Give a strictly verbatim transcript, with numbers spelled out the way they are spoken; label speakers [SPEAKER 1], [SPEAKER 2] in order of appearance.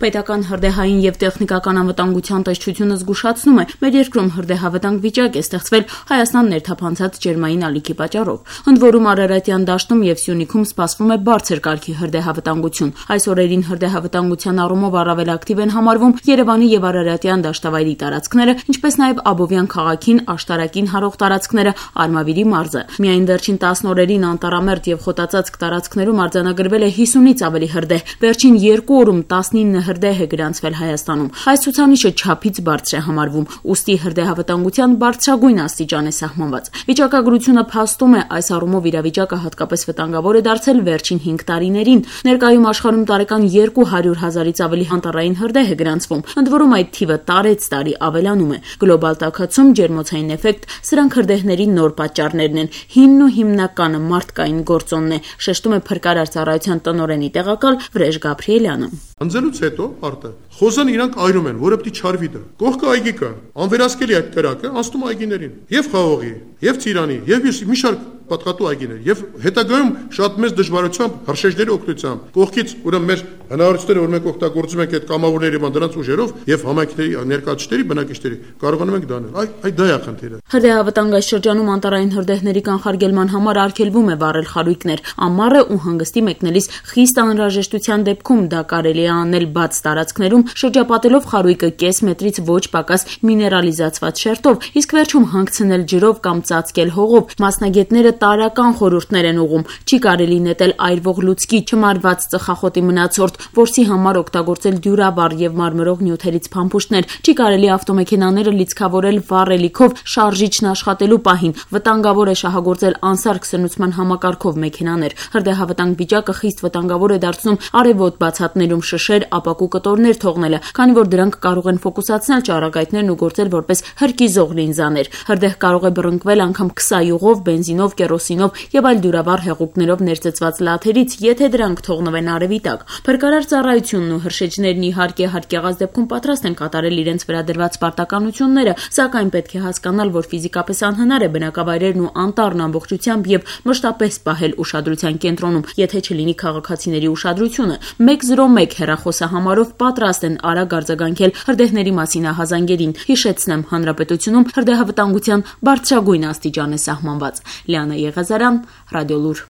[SPEAKER 1] Պետական հրդեհային եւ տեխնիկական անվտանգության տեսչությունը զգուշացնում է, մեր երկրում հրդեհավտանգ վիճակ է ստեղծվել Հայաստան ներթափանցած ջերմային ալիքի պատճառով։ Ընդ որում Արարատյան դաշտում եւ Սյունիքում սպասվում է բարձր կարգի հրդեհավտանգություն։ Այս օրերին հրդեհավտանգության առումով առավել ակտիվ են համարվում Երևանի եւ Արարատյան դաշտավայրի տարածքները, ինչպես նաեւ Աբովյան քաղաքին աշտարակին հարող տարածքները, Արմավիրի մարզը։ Միայն վերջին տասն օրերին Անտարամերձ եւ Խոտածածկ տարածքներում արձանագրվել է հիսունից ավելի հրդեհ։ Վերջին երկու օրում տասնինը հրդեհ է գրանցվել Հայաստանում։ Այս ցուցանիշը չափից բարձր է համարվում, ուստի հրդեհավտանգության բարձրագույն աստիճան է սահմանված։ Վիճակագրությունը փաստում է, այս առումով իրավիճակը հատկապես վտանգավոր է դարձել վերջին հինգ տարիներին։ Ներկայում աշխարհում տարեկան երկու հարյուր հազարից ավելի անտառային հրդեհ է գրանցվում, ընդ որում այդ թիվը տարեց տարի ավելանում է։ Գլոբալ տաքացում, ջերմոցային էֆեկտ, սրանք հրդեհների նոր պատճառներն են։ Հիմնն ու հիմնականը մարդկային գործոնն է, շեշտում է Փրկարար ծառայության տնօրենի տեղակալ Վրեժ Գաբրիելյանը։
[SPEAKER 2] Անձելուց հետո արտը խոզան իրանք այրում են, որը պիտի չարվի դա։ Կողքը այգի կա, անվերահսկելի այդ կրակը անցնում այգիներին, եւ խաղողի, եւ ծիրանի, եւ մի շարք պատղատու այգիներ, եւ հետագայում շատ մեծ դժվարությամբ, հրշեջների օգնությամբ, կողքից ուրեմն մեր հնարավորությունները, որ մենք օգտագործում ենք այդ կամավորների եւ դրանց ուժերով եւ համայնքների ներկայացուցիչների, բնակիչների, կարողանում ենք դա անել։ Այ այդ դա է խնդիրը։
[SPEAKER 1] Հրդեհավտանգ այս շրջանում անտառային հրդեհների կանխարգելման համար արգելվում է վառել խարույկներ։ Ամառը ու հանգստի մեկնելիս խիստ անհրաժեշտության դեպքում դա կարելի է անել բաց տարածքներում, շրջապատելով խարույկը կես մետրից ոչ պակաս միներալիզացված շերտով, իսկ վերջում հանգցնել ջրով կամ ծածկել հողով։ Մասնագետները տարրական խորհուրդներ են ուղղում։ Չի կարելի նետել այրվող լուցկի, չմարված ծխախոտի մնացորդ, որսի համար օգտագործել դյուրավառ եւ մարմրող նյութերից փամփուշտներ։ Չի կարելի ավտոմեքենաները լիցքավորել վառելիքով շարժիչն աշխատելու պահին։ Վտանգավոր է շահագործել անսարք սնուցման համակարգով մեքենաներ։ Հրդեհավտանգ վիճակը խիստ վտանգավոր է դարձնում արևոտ բացատներում շշեր, ապակու կտորներ թողնելը, քանի որ դրանք կարող են ֆոկուսացնել ճառագայթներն ու գործել որպես հրկիզող լինզաներ։ Հրդեհ կարող է բռնկվել անգամ քսայուղով, բենզինով, կերոսինով եւ այլ դյուրավառ հեղուկներով ներծծված լաթերից, եթե դրանք թողնվեն արևի տակ։ Փրկարար ծառայությունն ու հրշեջներն իհարկե հարկեղած դեպքում պատրաստ են կատարել իրենց վրա դրված պարտականությունները, սակայն պետք է հասկանալ, որ ֆիզիկապես անհնար է բնակավայրերն ու անտառն ամբողջությամբ եւ մշտապես պահել ուշադրության կենտրոնում, եթե չլինի քաղաքացիների ուշադրությունը։ մեկ զրո մեկ հեռախոսահամարով պատրաստ են արագ արձագանքել հրդեհների մասին ահազանգերին։ Հիշեցնեմ, հանրապետությունում հրդեհավտանգության բարձրագույն աստիճան է սահմանված։ Լիանա Եղազարյան, Ռադիոլուր։